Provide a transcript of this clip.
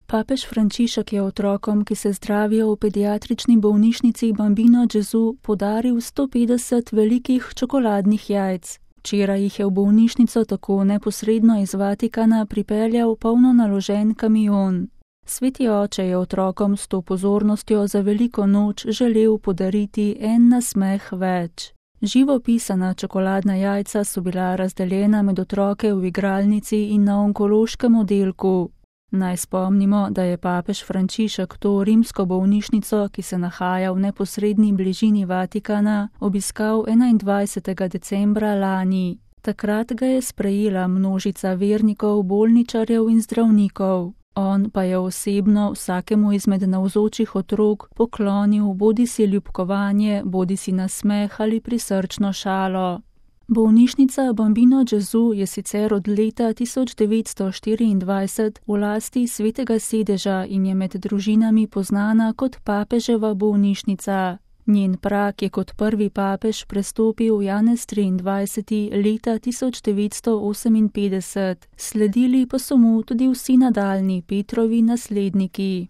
Papež Frančišek je otrokom, ki se zdravijo v pediatrični bolnišnici Bambino Gesù, podaril 150 velikih čokoladnih jajc. Včeraj jih je v bolnišnico tako neposredno iz Vatikana pripeljal polno naložen kamion. Sveti oče je otrokom s to pozornostjo za veliko noč želel podariti en nasmeh več. Živo pisana čokoladna jajca so bila razdeljena med otroke v igralnici in na onkološkem oddelku. Naj spomnimo, da je papež Frančišek to rimsko bolnišnico, ki se nahaja v neposredni bližini Vatikana, obiskal 21. decembra lani. Takrat ga je sprejela množica vernikov, bolničarjev in zdravnikov. On pa je osebno vsakemu izmed navzočih otrok poklonil bodisi ljubkovanje, bodisi nasmeh ali prisrčno šalo. Bolnišnica Bambino Gesù je sicer od leta 1924 v lasti Svetega sedeža in je med družinami poznana kot papeževa bolnišnica. Njen prag je kot prvi papež prestopil Janez 23. leta 1958, sledili pa so mu tudi vsi nadaljnji Petrovi nasledniki.